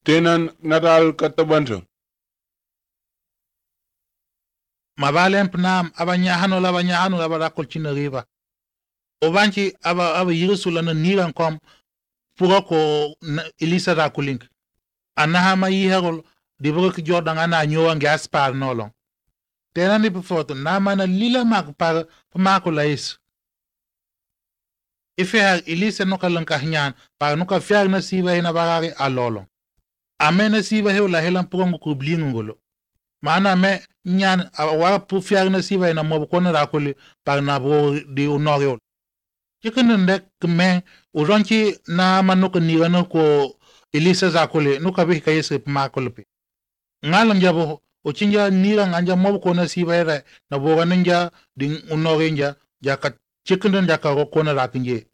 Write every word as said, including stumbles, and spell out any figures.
Tenan natal katabanto. Mabalem pnam abanyahano la banyahano la barakol china riva. Obanchi aba aba yirisula na niran kom pura ko Elisa da kulink. Anahama yiherol dibro ki Jordan ana nyowa gaspar nolong. Tenan ni foto na mana lila mak par pamako lais. Ife har Elisa no kalanka nyan par no ka fiar na siva ina barari alolo. Amena siva he la helan prongo ku blingolo. Mana me nyan awara pu fiar na siva ina mo ko na rakoli par na bo di unorio. Chicken ndek me uronchi na manuka nirano ko Elisa zakole no ka be kayese makolope. Ngalam jabo o chinja nira nganja mo ko na siva era na bo nanja ding unorenja jaka chicken ndaka ko na rakinje.